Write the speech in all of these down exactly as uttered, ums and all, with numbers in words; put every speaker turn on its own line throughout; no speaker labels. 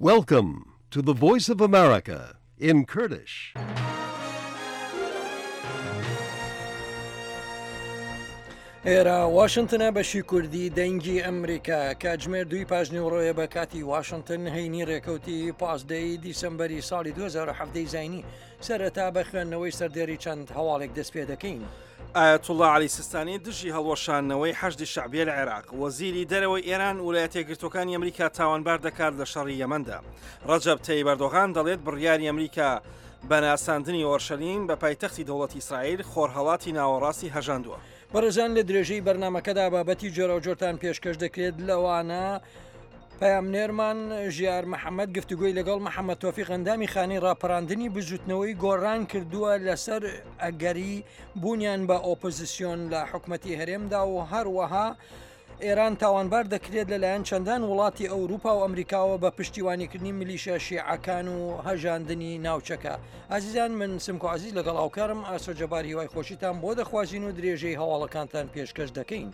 Welcome to the Voice of America in Kurdish.
ئێرە واشنتنە بەشی کوردی دەنگی ئەمریکا کاتژمێر دووی پاش نیوەڕۆیە بە کاتی واشنتن هەینی ڕێکەوتی پازدەی دیسەمبەری ساڵی دوو هەزار و حەڤدە زایینی. سەرەتا بە خوێندنەوەی سەردێری چەند هەواڵێک دەست پێ دەکەین.
ئایەتوڵڵا عەلی سیستانی دژی هەڵوەشاندنەوەی حەشدی شەعبیە لە عێراق. وەزیری دەرەوەی ئێران ویلایەتە یەکگرتووەکانی ئەمریکا تاوانبار دەکات لە شەڕی یەمەندا. ڕەجەب تەیب ئەردۆغان دەڵێت بڕیاری ئەمریکا بە ناساندنی ئۆرشەلیم بە پایتەختی دەوڵەتی ئیسرائیل خۆرهەڵاتی ناوەڕاستی هەژاندووە.
بەڕێزان لە درێژەی بەرنامەکەدا بابەتی جۆراوجۆرتان پێشکەش دەکرێت، لەوانە پەیامنێرمان ژیار محەممەد گفتوگۆی لەگەڵ محەممەد تۆفیق ئەندامی خانەی ڕاپەراندنی بزوتنەوەی گۆڕان کردووە لەسەر ئەگەری بوونیان بە ئۆپۆزیسیۆن لە حکومەتی هەرێمدا و هەروەها ئێران تاوانبار دەکرێت لەلایەن چەندان وڵاتی ئەوروپا و ئەمریکاوە بە پشتیوانیکردنی میلیشیا شیعەکان و هەژاندنی ناوچەکە. ئازیزان من سمکۆ عزیز لەگەڵ هاوکارم ئاسۆ جەبار هیوای خۆشیتان بۆ دەخوازین و درێژەی هەواڵەکانتان پێشکەش دەکەین.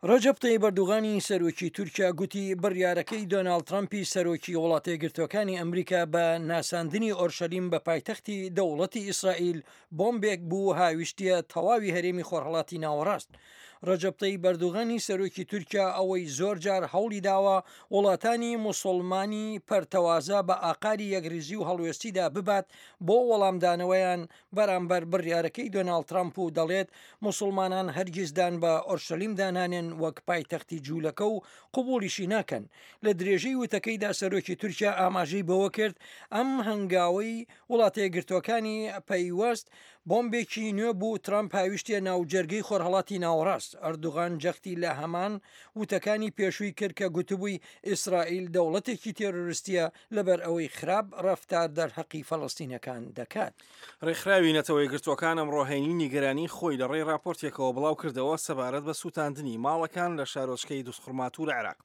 ڕەجەب تەیب ئەردۆغانی سەرۆکی تورکیا گوتی بڕیارەکەی دۆناڵد ترەمپی سەرۆکی وڵاتە یەکگرتووەکانی ئەمریکا بە ناساندنی ئۆرشەلیم بە پایتەختی دەوڵەتی ئیسرائیل بۆمبێک بوو هاویشتیە تەواوی هەرێمی خۆرهەڵاتی ناوەڕاست. ڕەجەب تەیب ئەردۆغانی سەرۆکی تورکیا ئەوەی زۆر جار هەوڵی داوە وڵاتانی موسڵمانی پەرتەوازە بە ئاقاری یەکریزی و هەڵوێستیدا ببات بۆ وەڵامدانەوەیان بەرامبەر بڕیارەکەی دۆناڵد ترەمپ و دەڵێت موسڵمانان هەرگیز دان بە ئۆرشەلیم دانانێن وەک پایتەختی جوولەکە و قبوڵیشی ناکەن. لە درێژەی وتەکەیدا سەرۆکی تورکیا ئاماژەی بەوە کرد ئەم هەنگاوەی وڵاتە یەکگرتووەکانی پەیوەست بۆمبێکی نوێ بوو ترەمپ هاویشتیە ناو جەرگەی خۆرهەڵاتی ناوەڕاست. ئەردوغان جەختی لە هەمان وتەکانی پێشووی کرد کە گوتبووی ئیسرائیل دەوڵەتێکی تێرۆریستیە لەبەر ئەوەی خراپ ڕەفتار دەرحەقی فەلەستینەکان دەکات.
ڕێکخراوی نەتەوە یەکگرتووەکان ئەمڕۆ هەینی نیگەرانی خۆی لە ڕێی راپۆرتێکەوە بڵاو کردەوە سەبارەت بە سووتاندنی ماڵەکان لە شارۆچکەی دووسخورماتوو لە عێراق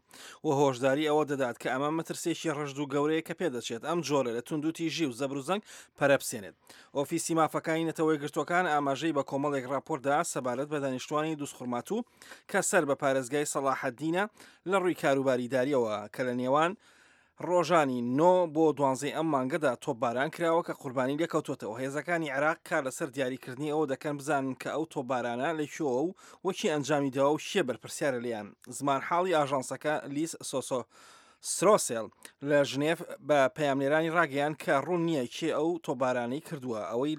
و هۆشداری ئەوە دەدات کە ئەمە مەترسێکی ڕژد و گەورەیە کە پێدەچێت ئەم جۆرە لە توندوتیژی و زەبروزەنگ پەرەپسێنێت. ئۆفیسی مافەکانی نەتەوە یەکگرتووەکان ئاماژەی بە کۆمەڵێک راپۆرتدا سەبارەت بە دانیشتوانی دووسخورماتوو کە سەر بە پارێزگای سەڵاحەدینە لە ڕووی کاروباری داریەوە کە لە نێوان ڕۆژانی نۆ بۆ دوانزەی ئەم مانگەدا تۆپباران کراوە کە قوربانی لێکەوتوتەوە. هێزەکانی عێراق کار لەسەر دیاریکردنی ئەوە دەکەن بزانن کە ئەو تۆپبارانە لەکوێوە و وەکی ئەنجامی داوە و کێ بەرپرسیارە لێیان. زمانحاڵی ئاژانسەکە لیس سۆسۆ سرۆسێل لە ژنێف بە پەیامنێرانی ڕاگەیان کە ڕوون نییە کێ ئەو تۆپبارانەی کردووە. ئەوەی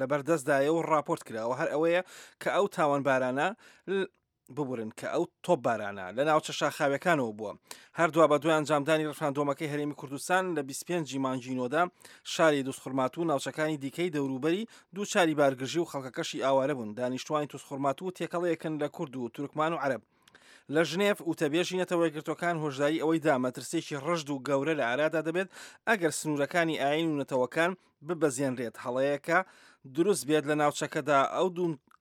لەبەردەستدایە و راپۆرت کراوە هەر ئەوەیە کە ئەو تاوانبارانە ببورن کە ئەو تۆپبارانە لە ناوچە شاخاویەکانەوە بووە. هەردووا بە دوای ئەنجامدانی ڕفراندۆمەکەی هەرێمی کوردستان لە بیست و پێنج مانگی نۆدا شاری دووسخورماتوو و ناوچەکانی دیکەی دەوروبەری دووچاری بارگرژی و خەڵکەکەشی ئاوارە بوون. دانیشتوانی دووسخورماتوو تێکەڵەیەکن لە کورد و تورکمان و عەرەب. لە ژنێف وتەبێژی نەتەوە یەکگرتووەکان هۆشداری ئەوەی دا مەترسێکی ڕژد و گەورە لە ئارادا دەبێت ئەگەر سنوورەکانی ئاین و نەتەوەکان ببەزێنرێت. هەڵەیەکە دروست بێت لە ناوچەکەدا ئەو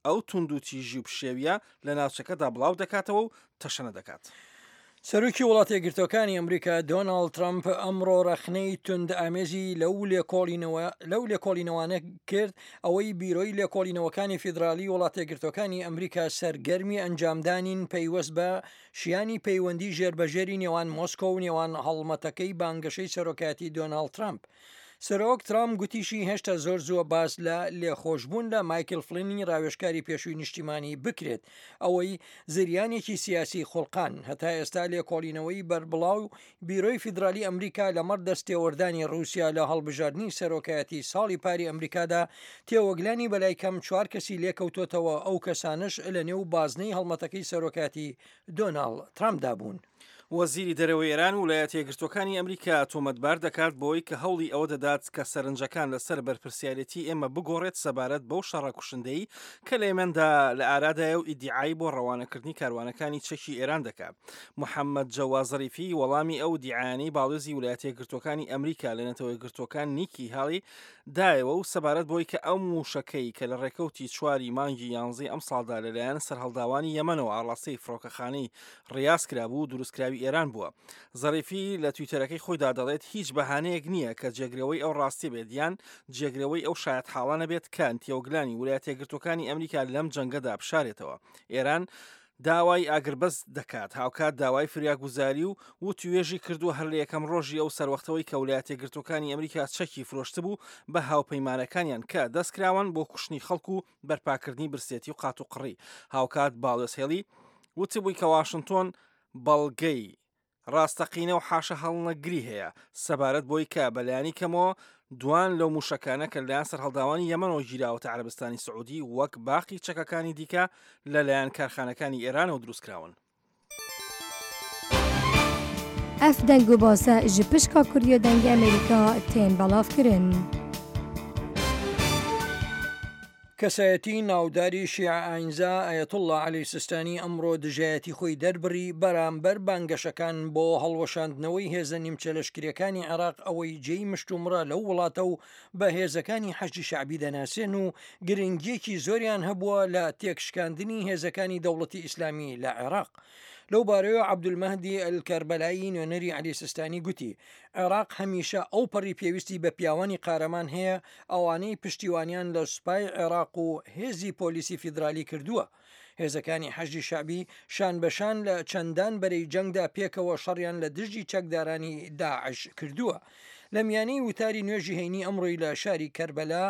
ئەو توندوتیژی و پشێویە لە ناوچەکەدا بڵاو دەکاتەوە و تەشەنە دەکات.
سەرۆکی وڵاتە یەکگرتووەکانی ئەمریکا دۆناڵد ترەمپ ئەمڕۆ ڕەخنەی توند ئامێزی لەو لێکۆڵینەوە لەو لێکۆڵینەوانە کرد ئەوەی بیرۆی لێکۆڵینەوەکانی فیدرالی وڵاتە یەکگرتووەکانی ئەمریکا سەرگەرمی ئەنجامدانین پەیوەست بە شیانی پەیوەندی ژێربەژێری نێوان مۆسکۆ و نێوان هەڵمەتەکەی بانگەشەی سەرۆکایەتی دۆناڵد ترەمپ. سەرۆک ترامپ گوتیشی هێشتا زۆر زووە باس لە لێخۆشبوون لە مایکل فلینی ڕاوێژکاری پێشووی نیشتیمانی بکرێت، ئەوەی زریانێکی سیاسی خوڵقان. هەتا ئێستا لێکۆڵینەوەی بەربڵاو بیرۆی فیدرالی ئەمریکا لەمەڕ دەستێوەردانی ڕووسیا لە هەڵبژاردنی سەرۆکایەتی ساڵی پاری ئەمریکادا تێوەگلانی بەلای کەم چوار کەسی لێکەوتۆتەوە، ئەو کەسانش لە نێو بازنەی هەڵمەتەکەی سەرۆکایەتی دۆناڵد ترامپدا بوون.
وەزیری دەرەوەی ئێران و ویلایەتە یەکگرتووەکانی ئەمریکا تۆمەتبار دەکات بۆی کە هەوڵی ئەوە دەدات کە سەرنجەکان لەسەر بەرپرسیارێتی ئێمە بگۆڕێت سەبارەت بەو شەڕە کوشندەی کە لە یەمەندا لە ئارادایە و ئیدیعای بۆ ڕەوانەکردنی کاروانەکانی چەکی ئێران دەکات. محەممەد جەواد زەریفی وەڵامی ئەو دیعایانەی باڵیۆزی ویلایەتە یەکگرتووەکانی ئەمریکا لە نەتەوە یەکگرتووەکان نیکی هالی دایەوە و سەبارەت بۆی کە ئەو موشەکەی کە لە ڕێکەوتی چواری مانگی یانزەی ئەمساڵدا لەلایەن سەرهەڵداوانی یەمەنەوە ئاڕاستەی فڕۆکەخانەی ڕیاز کرابوو دروستکراوی ئێران بووە. زەریفی لە تویتەرەکەی خۆیدا دەڵێت هیچ بەهانەیەک نییە کە جێگرەوەی ئەو ڕاستی بێت یان جێگرەوەی ئەو شایەتحاڵانە بێت کە تێوەگلانی ویلایەتە یەکگرتووەکانی ئەمریکا لەم جەنگەدا بشارێتەوە. ئێران داوای ئاگربەست دەکات، هاوکات داوای فریاگوزاری و وتوێژی کردووە هەر لە یەکەم ڕۆژی ئەو سەروەختەوەی کە ویلایەتە یەکگرتووەکانی ئەمریکا چەکی فرۆشتبوو بە هاوپەیمانەکانیان کە دەستکراون بۆ کوشتنی خەڵک و بەرپاکردنی برسێتی و قاتوقڕی. هاوکات باڵیۆز هێڵی وتبووی کە واشنگتۆن بەڵگەی ڕاستەقینە و حاشە هەڵنەگری هەیە سەبارەت بۆی کە بەلایەنی کەمەوە دوان لەو موشەکانە کە لەلایەن سەرهەڵداوانی یەمەنەوە گیراوەتە عەرەبستانی سعودی وەک باقی چەکەکانی دیکە لەلایەن کارخانەکانی ئێرانەوە دروستکراون.
ئەف دەنگ و باسە ji pişka Kurdiya Dengê Amerîka tên belavkirin.
کەسایەتی ناوداری شیعە ئاینزا ئایەتوڵڵا عەلی سیستانی ئەمڕۆ دژایەتی خۆی دەربڕی بەرامبەر بانگەشەکان بۆ هەڵوەشاندنەوەی هێزە نیمچە لەشکریەکانی عێراق ئەوەی جێی مشتومڕە لەو وڵاتە و بە هێزەکانی حەشدی شەعبی دەناسێن و گرنگیەکی زۆریان هەبووە لە تێکشکاندنی هێزەکانی دەوڵەتی ئیسلامی لە عێراق. لەو بارەیەوە عەبدولمەهدی ئەلکەربەلایی نوێنەری عەلی سیستانی گوتی عێراق هەمیشە ئەو پەڕی پێویستی بە پیاوانی قارەمان هەیە ئەوانەی پشتیوانیان لە سوپای عێراق و هێزی پۆلیسی فیدرالی کردووە. هێزەکانی حەشدی شەعبی شان بەشان لە چەندان بەرەی جەنگدا پێکەوە شەڕیان لە دژی چەکدارانی داعش کردووە. لە میانەی وتاری نوێژی هەینی ئەمڕۆی لە شاری کەربەلا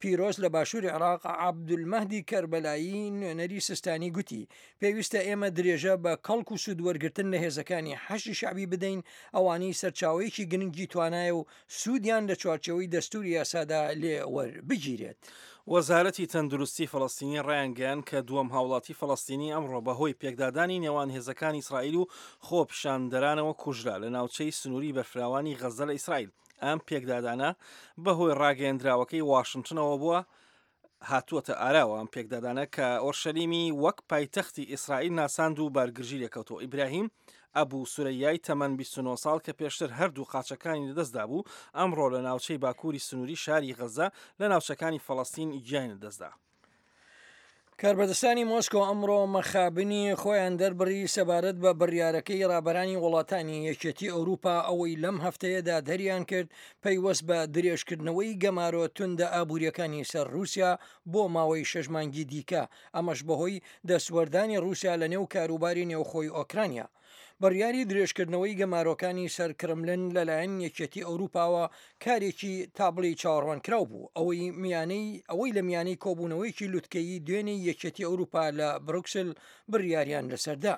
پیرۆز لە باشووری عێراق عەبدولمەهدی کەربەلایی نوێنەری سیستانی گوتی پێویستە ئێمە درێژە بە کەڵک و سوود وەرگرتن لە هێزەکانی حەشدی شەعبی بدەین ئەوانەی سەرچاوەیەکی گرنگی توانایە و سوودیان لە چوارچێوەی دەستوری یاسادا لێ وەربگیرێت.
وەزارەتی تەندروستی فەڵەستینی ڕایانگەیاند کە دووەم هاوڵاتی فەڵەستینی ئەمڕۆ بەهۆی پێکدادانی نێوان هێزەکانی ئیسرائیل و خۆپیشاندەرانەوە کوژرا لە ناوچەی سنووری بەرفراوانی غەزە لە ئیسرائیل. ئەم پێکدادانە بەهۆی ڕاگەیەندراوەکەی واشنگتنەوە بووە هاتووەتە ئاراوە. ئەم پێکدادانە کە ئۆرشەلیمی وەک پایتەختی ئیسرائیل ناساند و بارگرژی لێکەوتەوە. ئیبراهیم ئەبوو سورەیای تەمەن بیست و نۆ ساڵ کە پێشتر هەردوو قاچەکانی لەدەستدا بوو ئەمڕۆ لە ناوچەی باکووری سنووری شاری غەزە لە ناوچەکانی فەڵەستین گیانی لەدەستدا.
کاربەدەستانی مۆسکۆ ئەمڕۆ مەخابنی خۆیان دەربڕی سەبارەت بە بڕیارەکەی ڕابەرانی وڵاتانی یەکێتی ئەوروپا ئەوەی لەم هەفتەیەدا دەریان کرد پەیوەست بە درێژکردنەوەی گەمارۆ توندە ئابووریەکانی سەر رووسیا بۆ ماوەی شەش مانگی دیکە، ئەمەش بەهۆی دەستوەردانی رووسیا لە نێو کاروباری نێوخۆی ئۆکرانیا. بڕیاری درێژکردنەوەی گەمارۆکانی سەر کرملن لەلایەن یەکێتی ئەوروپاوە کارێکی تابڵی چاوەڕوانکراو بوو، ئەوەی میانەی ئەوەی لە میانەی کۆبوونەوەیەکی لوتکەیی دوێنێی یەکێتی ئەوروپا لە بروکسل بڕیاریان لەسەردا.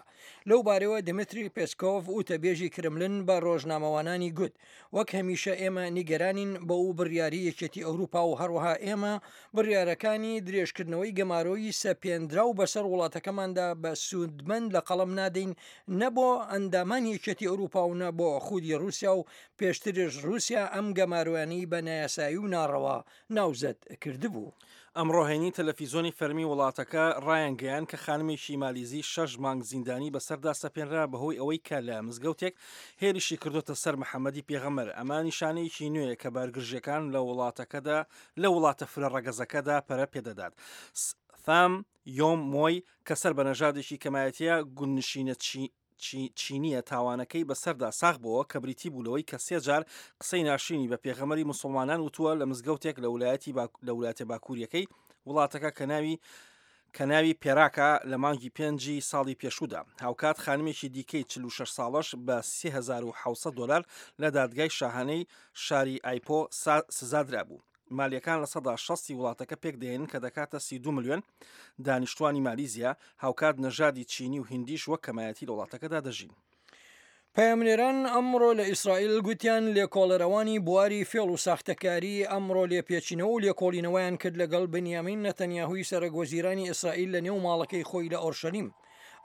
لەو بارەوە دمیتری پێسکۆڤ وتەبێژی کرملن بە ڕۆژنامەوانانی گوت وەک هەمیشە ئێمە نیگەرانین بەو بڕیاری یەکێتی ئەوروپا و هەروەها ئێمە بڕیارەکانی درێژکردنەوەی گەمارۆی سەپێنراو بەسەر وڵاتەکەماندا بە سوودمەند لە قەڵەم نادەین نە بۆ ئەندامانی یەکێتی ئەوروپا و نە بۆ خودی رووسیا و پێشترش رووسیا ئەم گەمارۆیانەی بە نایاسایی و ناڕەوا ناوزەد کردبوو.
ئەمڕۆ هەینی تەلەفیزیۆنی فەرمی وڵاتەکە ڕایانگەیاند کە خانمێکی مالیزی شەش مانگ زیندانی بەسەردا سەپێنرا بەهۆی ئەوەی کە لە مزگەوتێک هێرشی کردوتە سەر محەممەدی پێغەمبەر. ئەمە نیشانەیەکی نوێیە کە بارگرژیەکان لە وڵاتەکەدا لە وڵاتە فرە ڕەگەزەکەدا پەرە پێدەدات. ثام یۆم مۆی کە سەر بە نەژادێکی کەمایەتیە گوندنشینە چینیە تاوانەکەی بەسەردا ساغ بووە کە بریتی بوو لەوەی کە سێ جار قسەی ناشرینی بە پێغەمبەری مسلمانان وتووە لە مزگەوتێک لە ولایەتی لە ولایەتە باکووریەکەی وڵاتەکە کە ناوی کە ناوی پێراکە لە مانگی پێنجی ساڵی پێشوودا. هاوکات خانمێکی دیکەی چل و شەش ساڵەش بە سێ هەزار و حەوت سەد دۆلار لە دادگای شاهانەی شاری ئایپۆ سزادرا بوو. مالیەکان لە سەدا شەستی وڵاتەکە پێک دێنن کە دەکاتە سی و دوو ملیۆن دانیشتوانی مالیزیا، هاوکات نەژادی چینی و هیندیش وەک کەمایەتی لە وڵاتەکەدا دەژین.
پەیامنێران ئەمڕۆ لە ئیسرائیل گوتیان لێکۆڵەرەوانی بواری فێڵ و ساختەکاری ئەمڕۆ لێپێچینەوە و لێکۆڵینەوەیان کرد لەگەڵ بنیامین نەتەنیاهوی سەرۆک وەزیرانی ئیسرائیل لە نێو ماڵەکەی خۆی لە ئۆرشەلیم.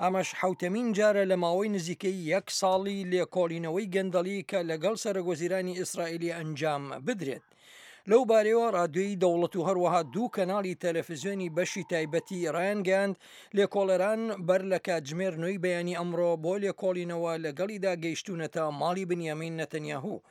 ئەمەش حوتەمین جارە لە ماوەی نزیکەی یەک ساڵی لێکۆڵینەوەی گەندەڵی کە لەگەڵ سەرۆک وەزیرانی ئیسرائیلی ئەنجام بدرێت. لەو بارەیەوە رادیۆی دەوڵەت و هەروەها دوو کەناڵی تەلەفزیۆنی بەشی تایبەتی ڕایانگەیاند لێکۆڵەران بەر لە کاتژمێر نۆی بەیانی ئەمڕۆ بۆ لێکۆڵینەوە لەگەڵیدا گەیشتوونەتە ماڵی بنیامین نەتەنیاهو،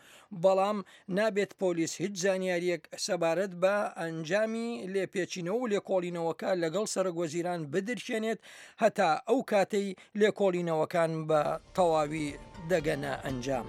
بەڵام نابێت پۆلیس هیچ زانیاریەک سەبارەت بە ئەنجامی لێپێچینەوە و لێکۆڵینەوەکە لەگەڵ سەرۆک وەزیران بدرکێنێت هەتا ئەو کاتەی لێکۆڵینەوەکان بە تەواوی دەگەنە ئەنجام.